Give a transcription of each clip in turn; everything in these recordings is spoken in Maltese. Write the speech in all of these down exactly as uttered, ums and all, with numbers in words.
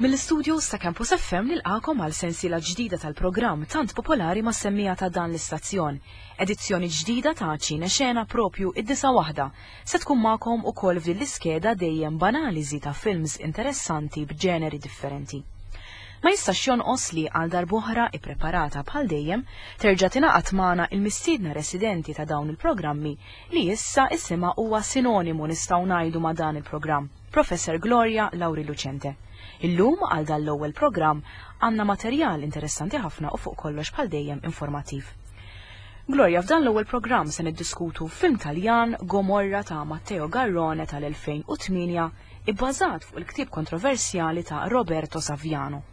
Mill-istudios ta' Campus F M nilqakom għal sensiela ġdida tal-programm tant popolari mas-semmiegħa ta' dan l-istazzjon. Edizzjoni ġdida ta' Ċine Xena, propju id-disa' waħda. Se tkun magħkom ukoll f'din l-iskeda, dejjem b'analiżi ta' films interessanti b'ġeneri differenti. Ma jistax jonqos li għal darb'oħra, ippreparata bħal dejjem, terġa' tingħaqad magħna il-mistiedna residenti ta' dawn il-programmi li issa isimha huwa sinonimu, nistgħu ngħidu, ma' dan il-programm, Professor Gloria Lauri Lucente. Illum għal dan l-ewwel programm għandna materjal interessanti ħafna u fuq kollox, bħal dejjem, informattiv. Gloria, f'dan l-ewwel programm se niddiskutu film Taljan, Gomorra ta' Matteo Garrone tal-elfejn u tmienja, ibbażat fuq il-ktieb kontroversjali ta' Roberto Saviano.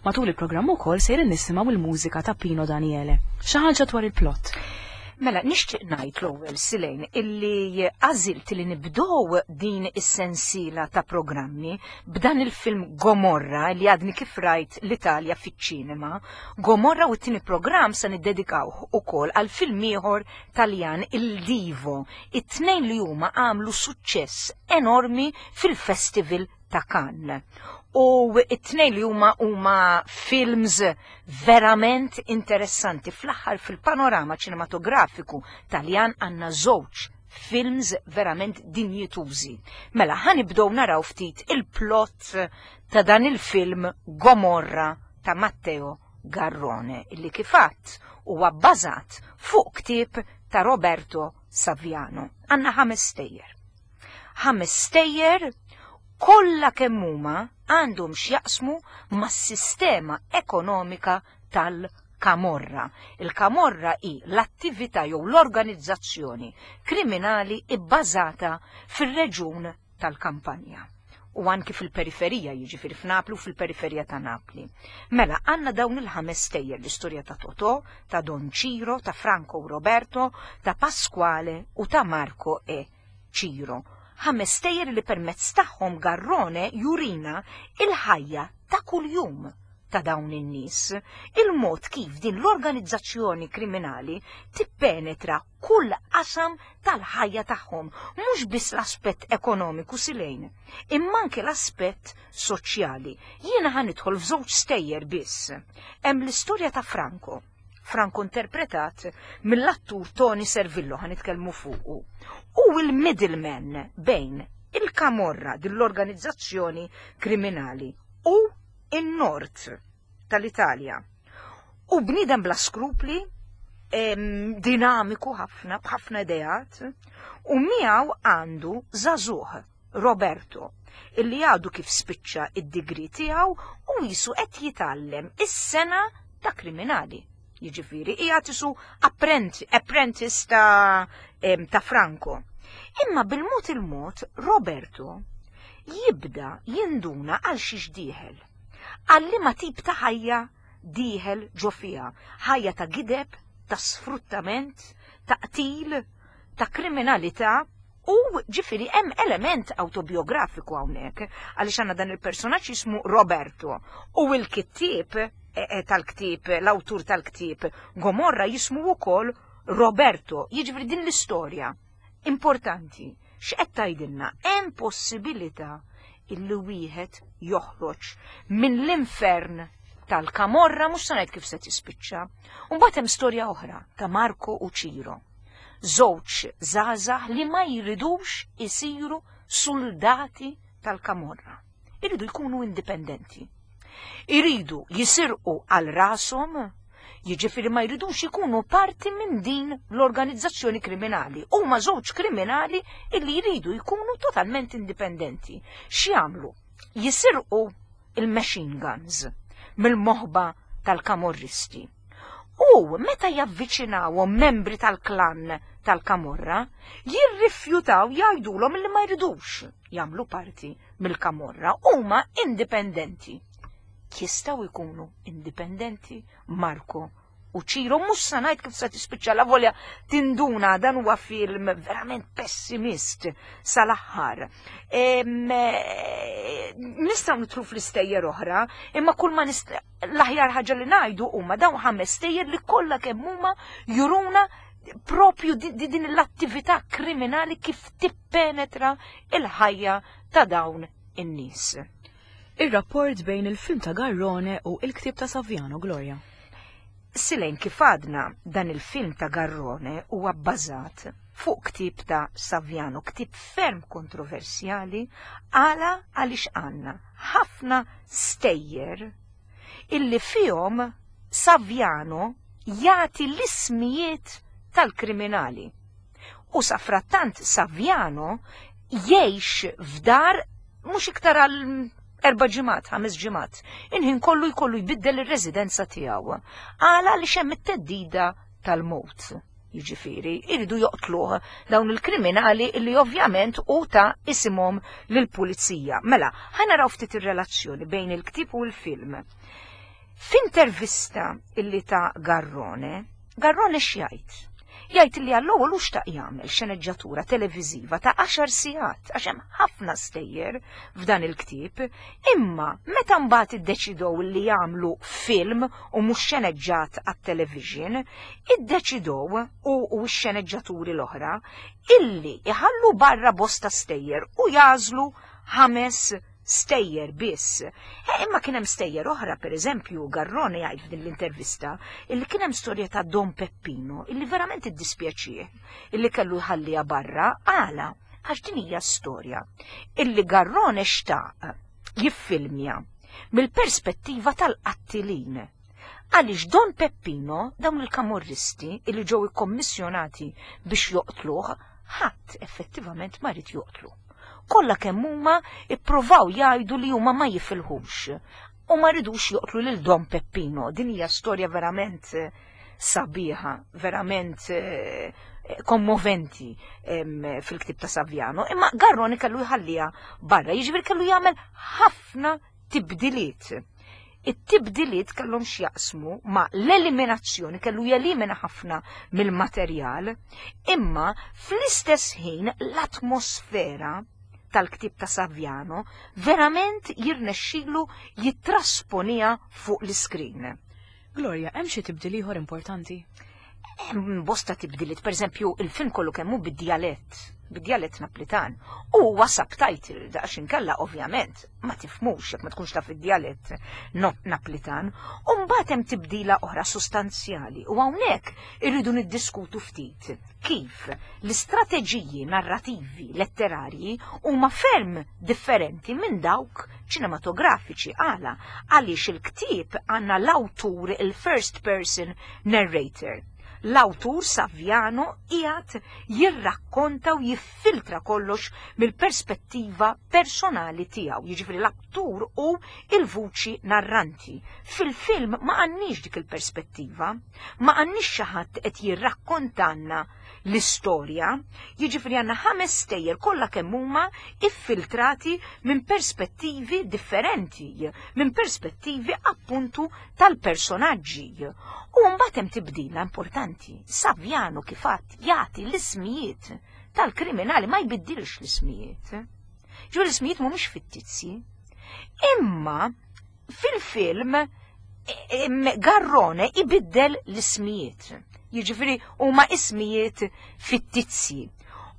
Matul il-programm ukoll sejrin nisimgħu il-mużika ta' Pino Daniele. Xi ħaġa dwar il-plot. Mela, nixtieq ngħid l-ewwel, Silejn, illi għażilt li nibdow din is-sensiela ta' programmi b'dan il-film Gomorra li għadni kif rajt l-Italja fiċ-ċinema. Gomorra, u t-tieni programm se niddedikawh ukoll għal film ieħor Taljan, Il Divo. It-tnejn li huma għamlu suċċess enormi fil-Festival ta' Cannes. U it-tnejn li huma huma films verament interessanti. Fl-aħħar, fil-panorama ċinematografiku Taljan għandna żewġ films verament dinjitużi. Mela, ħa nibdew naraw ftit il-plot ta' dan il-film Gomorra ta' Matteo Garrone, illi kif għedt huwa bbażat fuq ktieb ta' Roberto Saviano. Għandna ħames stejjer. Ħames stejjer kollha kemm huma għandhom x'jaqsmu mas-sistema ekonomika tal-Kamorra. Il-Kamorra hi l-attività jew l-organizzazzjoni kriminali ibbażata fir-reġun tal-Kampanja u anki fil-periferija, jiġifieri f'Napli u fil-periferija ta' Napli. Mela, għandna dawn il-ħames stejjer: l-istorja ta' Totò, ta' Don Ciro, ta' Franco u Roberto, ta' Pasquale u ta' Marco e Ciro. Ħames stejjer li permezz tagħhom Garrone jurina il-ħajja ta' kuljum ta' dawn in-nies, il-mod kif din l-organizzazzjoni kriminali tippenetra kull qasam tal-ħajja tagħhom, mhux biss l-aspett ekonomiku, Silejn, imma anke l-aspett soċjali. Jiena ħa nidħol f'żewġ stejjer biss. Hemm l-istorja ta' Franco. Franco interpretat mill-attur Toni Servillo, ħa nitkellmu fuqu. U il-middleman bejn il-Kamorra, din l-organizzazzjoni kriminali, u in-nord tal-Italja. U bniedem bla skrupli, em, dinamiku ħafna, b'ħafna ideat, u miegħu għandu żagħżugħ, Roberto, illi għadu kif spiċċa id-degree tiegħu u qisu qed jitgħallem is-sengħa ta' kriminali. Jiġifieri, qiegħed qisu apprentice ta', em, ta' Franco. Imma bil-mod il-mod Roberto jibda jinduna għal xiex dieħel. Għal liema tip ta' ħajja dieħel ġo fiha. Ħajja ta' gideb, ta' sfruttament, ta' qtil, ta' kriminalità, u ġifieri hemm element autobiografiku hawnhekk, għaliex għandna dan il-personaġġ jismu Roberto u l-kittieb eh, eh, tal-ktieb, l-awtur tal-ktieb Gomorra jismu wkoll Roberto. Jiġifieri din l-istorja importanti. X'qed tgħidilna? Hemm possibilità illi wieħed joħroġ minn l-infern tal-Kamorra, mhux se ngħid kif se tispiċċa. U mbagħad hemm storja oħra ta' Marco u Ciro. Żewġ żgħażagħ li ma jridux isiru soldati tal-Kamorra. Iridu jkunu indipendenti. Iridu jisirqu għal rashom, jiġifieri ma jridux ikunu parti minn din l-organizzazzjoni kriminali. Huma żewġ kriminali illi jridu jkunu totalment indipendenti. X'jagħmlu? Jisirqu il-machine guns mill-moħba tal-kamorristi. U meta javviċinawhom membri tal-klan tal-Kamorra, jirrifjutaw, jgħidulhom li ma jridux jagħmlu parti mill-Kamorra, huma indipendenti. Jistgħu jkunu indipendenti Marco u Ciro? Mhux se ngħid kif se tispiċċa, la volja tinduna, dan huwa film verament pessimist sal-aħħar. Nistgħu nidħlu fl-istejjer oħra, imma kull ma l-aħjar ħaġa li ngħidu huma dawn ħames stejjer li kollha kemm huma juruna propju din l-attività kriminali kif tippenetra il-ħajja ta' dawn in-nies. Ir-rapport bejn il-film ta' Garrone u il-ktieb ta' Saviano, Gloria. Silejn, kif għadna, dan il-film ta' Garrone huwa bbażat fuq ktieb ta' Saviano, ktieb ferm kontroversjali, għala għaliex għandna ħafna stejjer illi fihom Saviano jagħti l-ismijiet tal-kriminali. U safrattant Saviano jgħix f'dar mhux iktar għal erba' ġimgħat, ħames ġimgħat. Inħin kollu jkollu jbiddel ir-residenza tiegħu. Għala li hemm it-teddida tal-mowt. Jiġifieri, iridu joqtluh dawn il-kriminali illi ovvjament u ta' isimhom lill-pulizija. Mela, ħa naraw ftit ir-relazzjoni bejn il-ktieb u l-film. F'intervista illi ta' Garrone, Garrone x'jgħid? Jgħid li għall-ewwel hu xtaq jagħmel xeneġġatura televiżiva ta' għaxar sigħat għax hemm ħafna stejjer f'dan il-ktieb, imma meta mbagħad iddeċidew li jagħmlu film u mhux xeneġġat għat-television, iddeċidew u, u x-xeneġġaturi l-oħra illi iħallu barra bosta stejjer u jażlu ħames stejjer biss. E, imma kien hemm stejjer oħra, per eżempju, Garrone jgħid f'din l-intervista illi kien hemm storja ta' Don Peppino illi verament iddispjaċih illi kellu jħalliha barra. Għala, għax din hija storja illi Garrone xtaq jiffilmja mill-perspettiva tal-qattilin. Għaliex Don Peppino, dawn il-kamorristi illi ġew ikkommissjonati biex joqtluh, ħadd effettivament ma rid joqtlu. Kollha kemm huma ippruvaw jgħidu li huma ma jifilħux u ma ridux joqtlu lil Don Peppino. Din hija storja verament sabiħa, verament kommoventi fil-ktieb ta' Saviano, imma Garrone kellu jħalliha barra, jiġifieri kellu jagħmel ħafna tibdiliet. It-tibdiliet kellhom x'jaqsmu ma' l-eliminazzjoni, kellu jelimina ħafna mill-materjal, imma fl-istess ħin l-atmosfera tal-ktieb ta' Saviano verament jirnexxilu jittrasponija fuq l-iskrin. Gloria, hemm xi tibdil ieħor importanti? Hemm bosta tibdiliet, pereżempju il-film kollu kemm hu bid-djalett, bid-djalett Naplitan. U huwa subtitle daqs inkella ovvjament ma tifhmux jekk ma tkunx taf id-djalett Naplitan. U mbagħad hemm tibdila oħra sostanzjali u hawnhekk irridu niddiskutu ftit kif l-istrateġiji narrativi letterarji huma ferm differenti minn dawk ċinematografiċi. Għala, għaliex il-ktieb għandna l-awtur, il-first person narrator. L-awtur Saviano qiegħed jirrakkonta u jiffiltra kollox mill-perspettiva personali tiegħu, jiġifieri l-awtur u il-vuċi narranti. Fil-film ma għandniex dik il-perspettiva, ma għandniex xi ħadd qed jirrakkontanna l-istorja, jiġifieri għandna ħames stejjer kollha kemm huma iffiltrati minn perspettivi differenti, minn perspettivi appuntu tal-personaġġi. U mbagħad hemm tibdila importanti. Saviano kif għadd jagħti l-ismijiet tal-kriminali, ma jbiddilx l-ismijiet. Ġu l-ismijiet mhumiex fittizji. Imma fil-film Garrone ibiddel l-ismijiet. Jiġifieri huma ismijiet fittizji.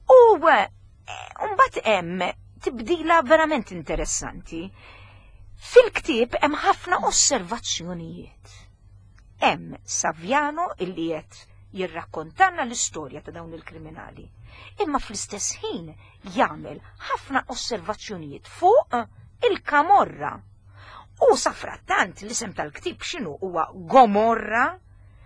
U mbagħad hemm tibdila verament interessanti. Fil-ktieb hemm ħafna osservazzjonijiet. Hemm Saviano illi qed jirrakkontanna l-istorja ta' dawn il-kriminali, imma fl-istess ħin jagħmel ħafna osservazzjonijiet fuq il-Kamorra. U safrattant l-isem tal-ktieb x'inhu huwa Gomorra,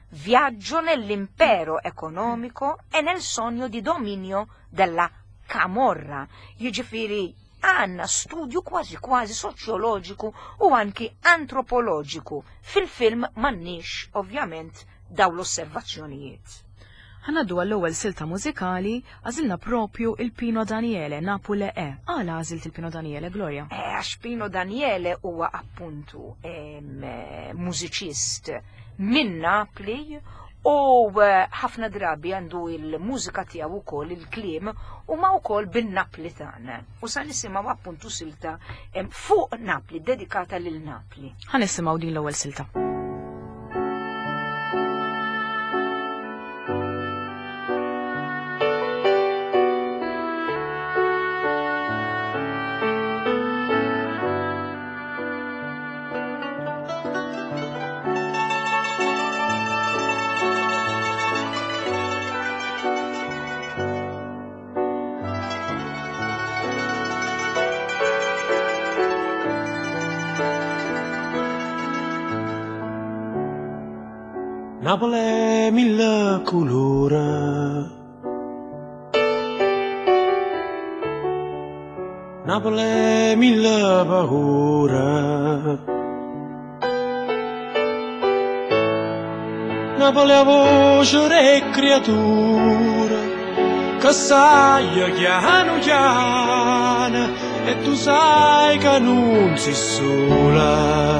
viaggio nell'impero economico e nel sogno di dominio della Camorra. Jiġifieri għandna studju kważi kważi soċjoloġiku u anki antropoloġiku. Fil-film m'għandniex ovvjament daw l-osservazzjonijiet. Ħa ngħaddu għall-ewwel silta mużikali, għażilna propju il-Pino Daniele, Napule E. Għala għażilt il-Pino Daniele, Gloria? Għax Pino Daniele huwa appuntu mużiċist minn Napli u ħafna drabi għandu il-mużika tiegħu wkoll il-kliem huma wkoll bin-Naplitan. U sa nisimgħu appuntu silta fuq Napli, dedikata lil Napli. Ħa nisimgħu din l-ewwel silta. Napoli mille colore, Napoli mille paura, Napoli a voce re creatura, che sai chiano chiano, e tu sai che non sei sola.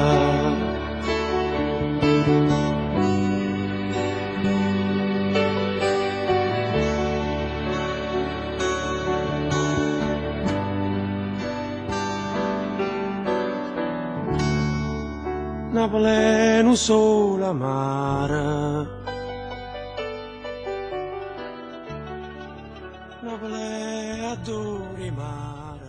Napoli non sola mare, Napoli adori mare.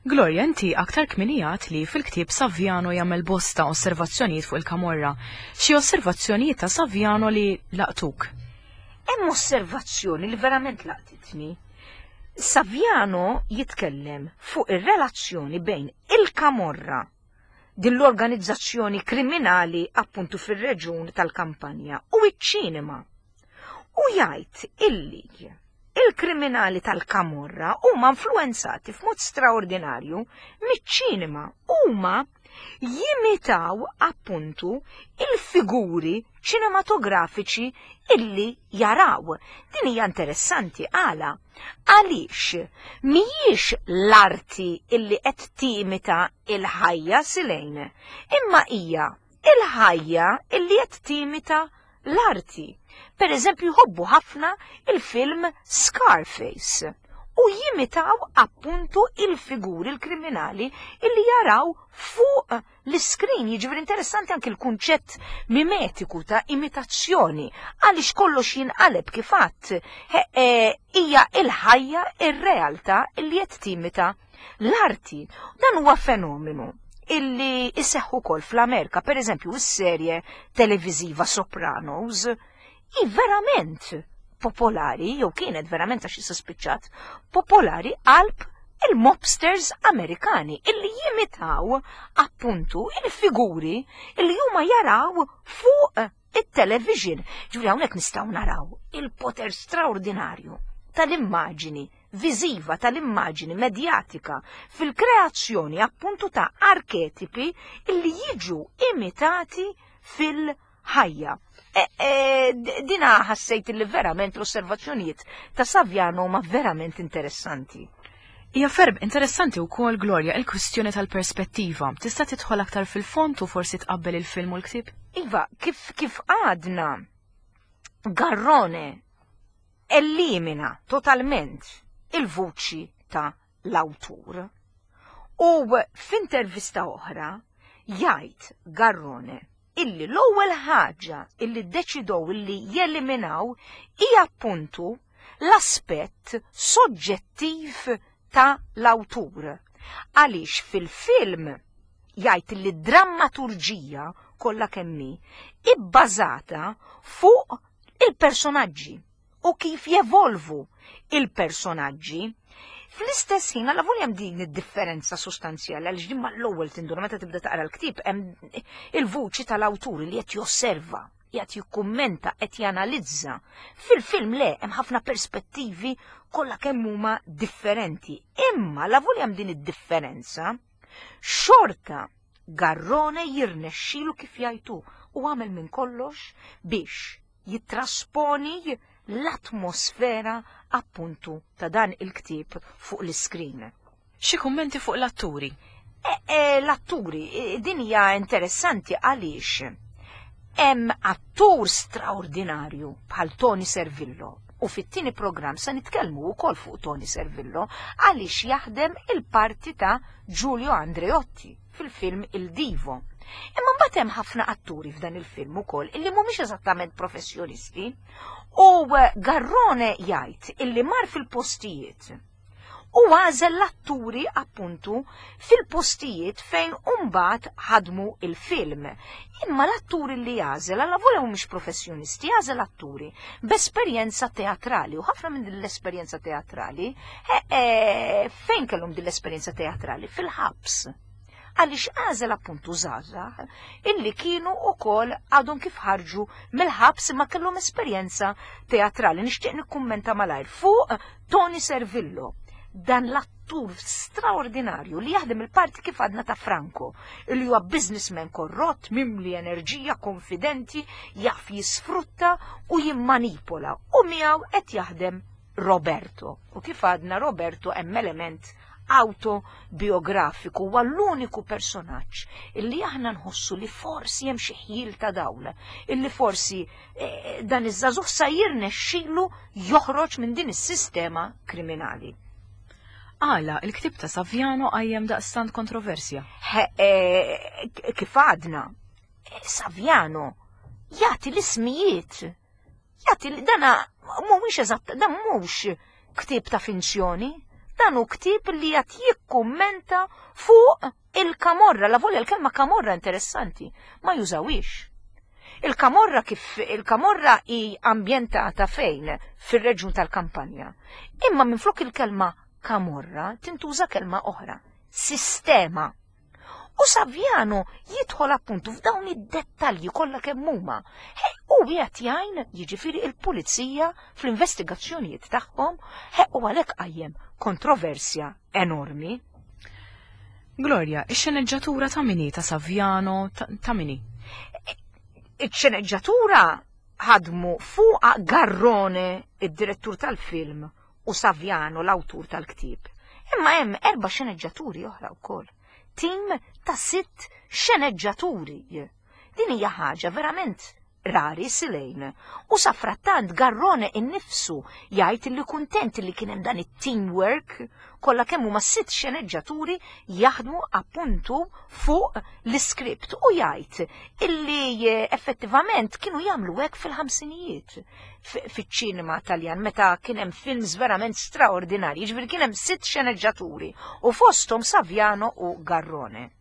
Gloria, inti aktar kminijat li fil-ktieb Saviano jagħmel bosta osservazzjonijiet fuq il-Kamorra. Xi osservazzjonijiet ta' Saviano li laqtuk? Hemm osservazzjoni li verament laqtitni. Saviano jitkellem fuq ir-relazzjoni bejn il-Kamorra, din l-organizzazzjoni kriminali appuntu fir-reġun tal-Kampanja, u iċ-ċinema. U jgħid illi il-kriminali tal-Kamorra huma influenzati f'mod straordinarju miċ-ċinema, huma jimitaw appuntu il-figuri ċinematografiċi illi jaraw. Din hija interessanti għala. Għaliex mhijiex l-arti illi qed timita il-ħajja Silejn, imma hija il-ħajja illi qed timita l-arti. Per eżempju, jħobbu ħafna il-film Scarface u jimitaw appuntu il-figuri il-kriminali illi jaraw fuq l-iskrin. Jiġifieri interessanti anke l-kunċett mimetiku ta' imitazzjoni, għaliex kollox jinqaleb kif għadd. Hija il-ħajja, ir-realtà illi qed timita l-arti. Dan huwa fenomenu illi iseħħu ukoll fl-Amerika. Per eżempju, is-serje televiżiva Sopranos hi verament popolari, jew kienet verament għax issa spiċċat, popolari qalb il-mobsters Amerikani illi jimitaw appuntu il-figuri illi huma jaraw fuq it-television. Ġifieri hawnhekk nistgħu naraw il-poter straordinarju tal-immaġini viżiva, tal-immaġini medjatika fil-kreazzjoni appuntu ta' arketipi illi jiġu imitati fil-ħajja. E, e, dina ħassejt li verament l-osservazzjonijiet ta' Saviano huma verament interessanti. Hija ferm interessanti wkoll, Gloria, il-kwistjoni tal-perspettiva. Tista' tidħol aktar fil-fond u forsi tqabbel il-film u l-ktieb? Iva, kif, kif għadna, Garrone elimina totalment il-vuċi ta' l-awtur. U f'intervista oħra jgħid Garrone illi l-ewwel ħaġa illi ddeċidew illi jeliminaw hija appuntu l-aspett soġġettiv ta' l-awtur. Għaliex fil-film jgħid li d-drammaturġija kollha kemm hi ibbażata fuq il-personaġġi u kif jevolvu il-personaġġi. Fl-istess ħin, għalla volja hemm din id-differenza sostanzjali, għaliex din mal-ewwel tinduna meta tibda taqra l-ktieb, hemm il-vuċi tal-awtur li qed josserva, qed jikkummenta, qed janalizza. Fil-film le, hemm ħafna perspettivi kollha kemm huma differenti. Imma la volja hemm din id-differenza, xorta Garrone jirnexxilu kif jgħidu u għamel minn kollox biex jittrasponi l-atmosfera appuntu ta' dan il-ktieb fuq l-iskrin. Xi kummenti fuq l-atturi? E, e, l-atturi, e, din hija interessanti għaliex hemm attur straordinarju bħal Toni Servillo, u fit-tieni programm se nitkellmu wkoll fuq Toni Servillo għaliex jaħdem il-parti ta' Giulio Andreotti fil-film Il Divo. Imma mbagħad hemm ħafna atturi f'dan il-film ukoll illi mhumiex eżattament professjonisti, u Garrone jgħid illi mar fil-postijiet u għażel l-atturi appuntu fil-postijiet fejn mbagħad ħadmu il-film. Imma l-atturi li għażel, alla volja mhumiex professjonisti, għażel atturi b'esperjenza teatrali, u ħafna minn din l-esperjenza teatrali, e, e, fejn kellhom din l-esperjenza teatrali? Fil-ħabs. Għaliex għażel appuntu żgħażagħ illi kienu wkoll għadhom kif ħarġu mill-ħabs imma kellhom esperjenza teatrali. Nixtieq nikkummenta malajr fuq Tony Servillo, dan l-attur straordinarju li jaħdem il-parti kif għadna ta' Franco, illi huwa businessman korrott, mimli enerġija, konfidenti, jaf jisfrutta u jimmanipola, u miegħu qed jaħdem Roberto. U kif għadna Roberto hemm element autobiografiku, huwa l-uniku personaġġ illi aħna nħossu li forsi hemm xi ħjiel ta' dawl, illi forsi eh, dan iż-żagħżugħ sa jirnexxielu joħroġ minn din is-sistema kriminali. Għala, il-ktieb ta' Saviano qajjem daqstant kontroversja. He, eh, kif għadna, eh, Saviano jagħti l-ismijiet, jagħti dana mhuwiex eżatt, dan mhux ktieb ta' finzjoni, dan hu ktieb li qed jikkummenta fuq il-kamorra. La volja l-kelma kamorra interessanti, ma jużawix. Il-kamorra kif il-kamorra hi ambjentata fejn? Fir-reġjun tal-Kampanja. Imma minflok il-kelma kamorra tintuża kelma oħra, sistema. U Saviano jidħol appuntu f'dawn id-dettalji kollha kemm huma. U qiegħed jgħin jiġifieri il-pulizija fl-investigazzjonijiet tagħhom, u għalhekk qajjem kontroversja enormi. Gloria, ix-xeneġġatura ta' min hi ta' Saviano ta' min hi? Ix-xeneġġatura ħadmu fuqa Garrone, id-direttur tal-film, u Saviano, l-awtur tal-ktieb. Imma hemm erba' xeneġġaturi oħra wkoll. Tim ta' sitt xeneġġaturi. Din hija ħaġa verament rari silejn. U safrattant Garrone innifsu jgħid li kuntent li kien hemm dan it-teamwork, kollha kemm huma sitt xeneġġaturi jaħdmu appuntu fuq l-iskript, u jgħid illi effettivament kienu jagħmlu hekk fil-ħamsinijiet fiċ-ċinema Taljan meta kien hemm films verament straordinarji, jiġifieri kien hemm sitt xeneġġaturi u fosthom Saviano u Garrone.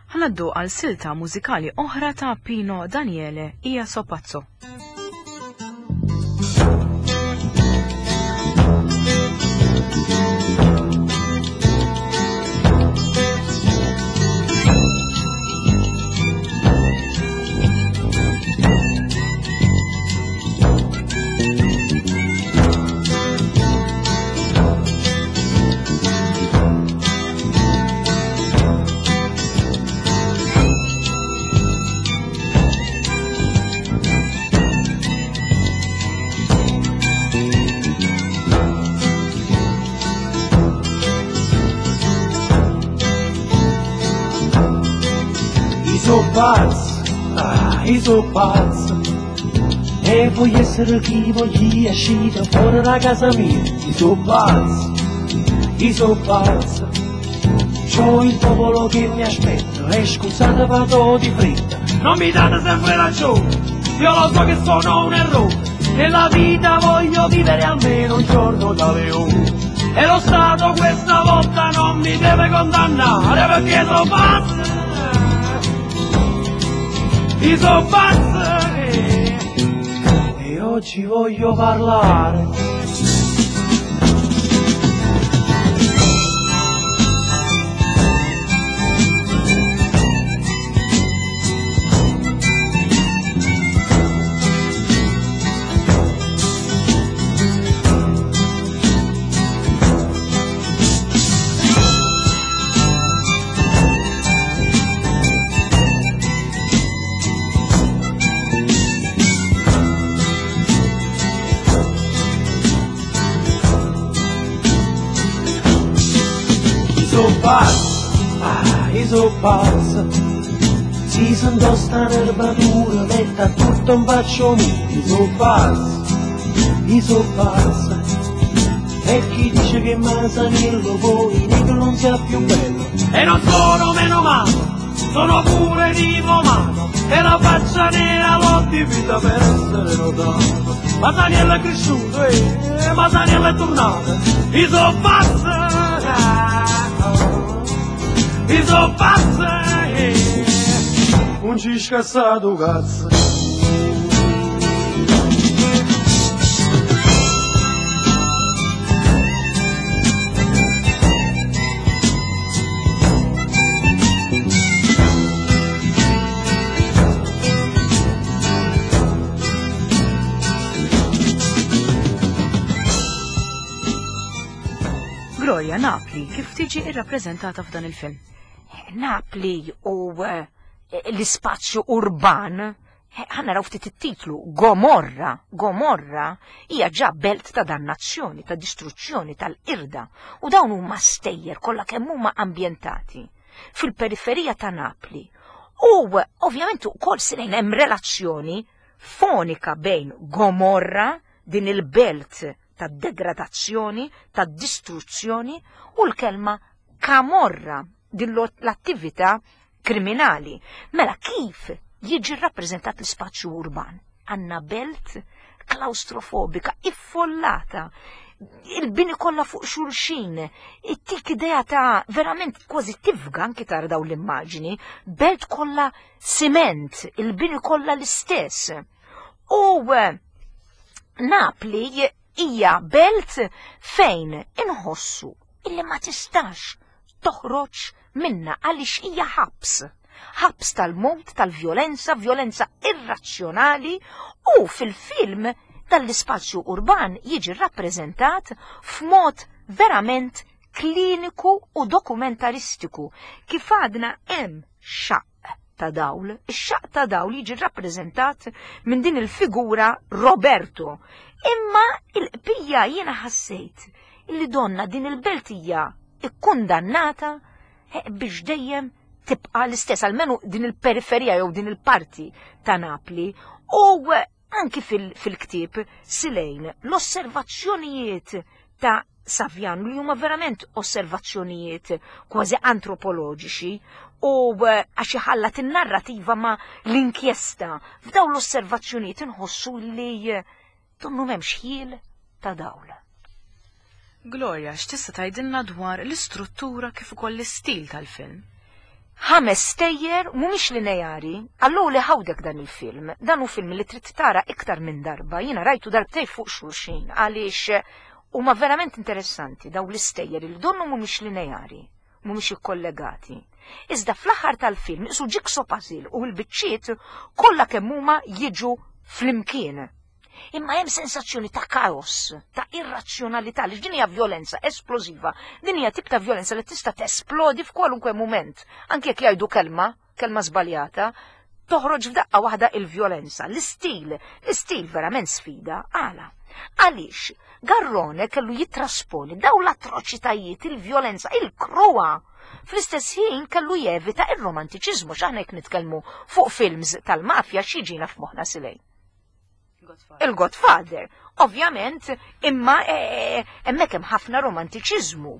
Ħanaddu għal silta mużikali oħra ta' Pino Daniele, Io So Pazzo. So pazzo, ah, io so pazzo, e voglio essere chi voglio uscire fuori da casa mia. Io so pazzo, io so pazzo, c'ho il popolo che mi aspetta, e scusate vado di fretta, non mi date sempre ragione, io lo so che sono un errore, nella vita voglio vivere almeno un giorno da leone, e lo Stato questa volta non mi deve condannare perché so pazzo. Io so pazzo e, e oggi voglio parlare. Pazzo, ah, io so pazzo, si sento sta nervatura, metta tutto in faccio mio. Io so pazzo, io so pazzo, e chi dice che Masaniello poi negro non sia più bello. E non sono meno male, sono pure diplomato, e la faccia nera l'ho dipinta per essere notato. Masaniello è cresciuto, eh, Masaniello è tornato, io so pazzo, io so pazzo, eh, non ci scassato cazzo. Gloria, Napli kif tiġi irrappreżentata f'dan il-film? Napli u eh, l-ispazju urban, eh, ħa naraw ftit it-titlu, Gomorra. Gomorra hija ġa belt ta' dannazzjoni, ta' distruzzjoni, tal-qirda. U dawn huma stejjer kollha kemm huma ambjentati fil-periferija ta' Napli. U ovvjament ukoll sirejn hemm relazzjoni fonika bejn Gomorra, din il-belt ta' degradazzjoni, ta' distruzzjoni, u l-kelma Camorra, din l-attività kriminali. Mela kif jiġi rappreżentat l-ispazju urban? Għandna belt klaustrofobika, iffollata, il-bini kollha fuq xulxin, ittik idea ta' verament kważi tifga anki tara daw l-immaġini, belt kollha siment, il-bini kollha l-istess. U eh, Napli hija belt fejn inħossu illi ma tistax toħroġ minna għaliex hija ħabs. Ħabs tal-mowt, tal-vjolenza, vjolenza irrazzjonali, u fil-film tal-ispazju urban jiġi rappreżentat f'mod verament kliniku u dokumentaristiku. Kif għadna hemm xaqq ta' dawl, ix-xaqq ta' dawl jiġi rappreżentat minn din il-figura Roberto. Imma il-qbija jiena ħassejt illi donna din il-belt hija ikkundannata eh, biex dejjem tibqa l-istess, almenu din il-periferija jew din il-parti ta' Napli. U anki fil-ktieb Silejn, l-osservazzjonijiet ta' Saviano li huma verament osservazzjonijiet kważi antropoloġiċi u eh, għax iħallat in-narrativa ma' l-inkjesta, f'dawn l-osservazzjonijiet inħossu li eh, donnu m'hemmx ħjiel ta' dawl. Gloria, x'tista' tgħidilna dwar l-istruttura kif ukoll l-istil tal-film? Ħames stejjer mhumiex lineari, allu li ħawdek dan il-film. Dan hu film li trid tara iktar minn darba, jiena rajtu darbtej fuq xulxin għaliex huma verament interessanti daw l-istejjer li donnu mhumiex lineari, mhumiex ikkollegati. Iżda fl-aħħar tal-film isu jigsaw puzzle u l-biċċiet kollha kemm huma jiġu flimkien. Imma hemm sensazzjoni ta' kaos, ta' irrazzjonalità, li din hija vjolenza esplożiva, din hija tip ta' vjolenza li tista' tesplodi f'kwalunkwe mument. Anke jekk jgħidu kelma, kelma żbaljata, toħroġ f'daqqa waħda il-vjolenza. L-istil, l-istil verament sfida, għala. Għaliex Garrone kellu jitrasponi daw l-atroċitajiet, il-vjolenza, il-kruha. Fl-istess ħin kellu jevita il-romantiċiżmu, x'aħna jekk nitkellmu fuq films tal-mafja x'jiġina f'moħħna Silejn? Il-Godfather. Ovvjament, imma eh, hemmhekk hemm ħafna romantiċiżmu.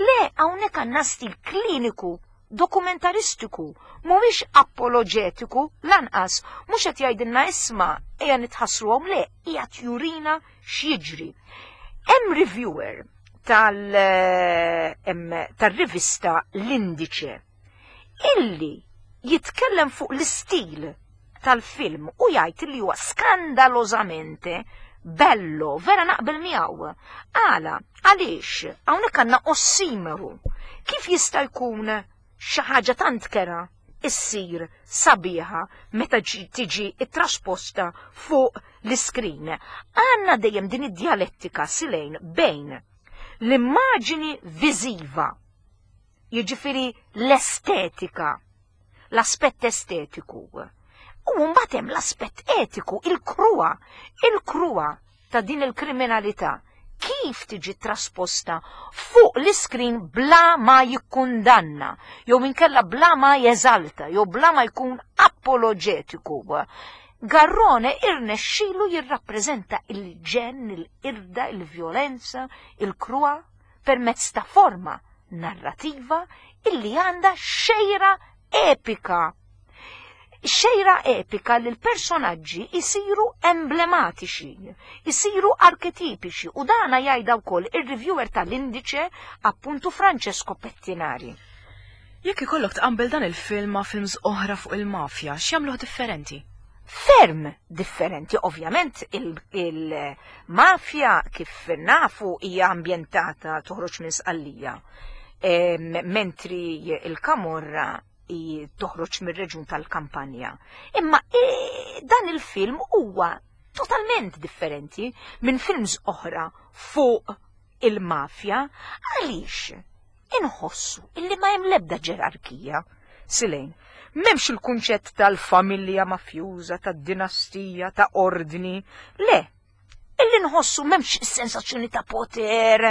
Le, hawnhekk għandna stil kliniku, dokumentaristiku, mhuwiex apologetiku, lanqas, mhux qed jgħidilna isma' ejja nitħassruhom, le, qiegħed jurina x'jiġri. Hemm reviewer tal eh, tal-rivista L'Indice illi jitkellem fuq l-istil tal-film u jgħid li huwa skandalożamente bello, vera naqbel miegħu. Għala, għaliex hawnhekk għandna ossimeru. Kif jista' jkun xi ħaġa tant kera issir sabiħa meta tiġi trasposta fuq l-iskrin? Għandna dejjem din id-dialettika Silejn bejn l-immaġini viżiva, jiġifieri l-estetika, l-aspett estetiku, u mbagħad hemm l-aspett etiku, il-kruha, il-kruha ta' din il-kriminalità kif tiġi trasposta fuq l-iskrin bla ma jikkundanna, jew minkella bla ma jeżalta, jew bla ma jkun apologetiku. Garrone irnexxilu jirrappreżenta il-ġenn, il-qirda, il-vjolenza, il-kruha permezz ta' forma narrativa illi għandha xejra epika. Xejra epika li l-personaġġi jisiru emblematiċi, jisiru arketipiċi, u dana jgħidha wkoll ir-reviewer tal-Indice, appuntu Francesco Pettinari. Jekk ikollok tqabbel dan il-film ma' films oħra fuq il-mafja, x'jagħmluh differenti? Ferm differenti, ovvjament il-mafja kif nafu hija ambjentata toħroġ minn Sqallija, mentri il-Kamorra toħroġ mir-reġjun tal-Kampanja. Imma e, dan il-film huwa totalment differenti minn films oħra fuq il-mafja għaliex inħossu illi ma hemm l-ebda ġerarkija. Silejn, m'hemmx il-kunċett tal-familja mafjuża, tad-dinastija, ta' ordni. Le, illi nħossu m'hemmx is-sensazzjoni ta' poter,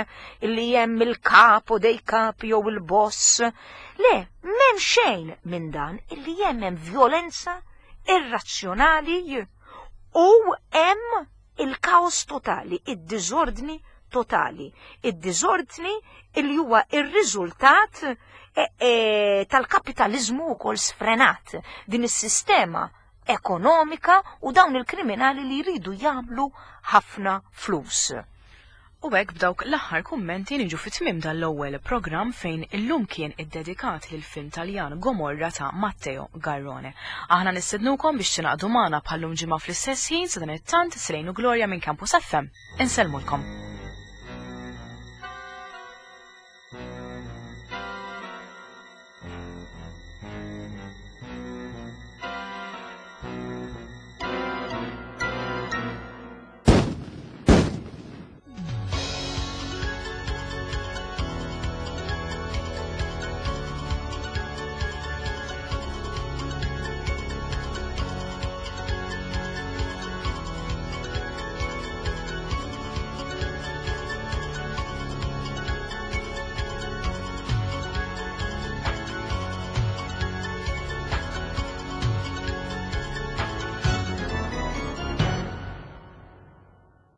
illi hemm il-capo dei capi jew il-boss. Le, m'hemm xejn minn dan, illi hemm hemm violenza irrazzjonali u hemm il-kaos totali, id-diżordni totali. Id-diżordni illi huwa ir-riżultat e, e, tal-kapitalizmu wkoll sfrenat, din is-sistema ekonomika u dawn il-kriminali li jridu jagħmlu ħafna flus. U hekk b'dawk l-aħħar kummenti niġu fi tmiem dal-ewwel programm fejn illum kien iddedikat lil film Taljan Gomorra ta' Matteo Garrone. Aħna nistednukom biex tingħaqdu magħna bħallum ġimgħa fl-istess ħin. Sadanittant, Silejn u Gloria minn Campus F M. Insellmulkom.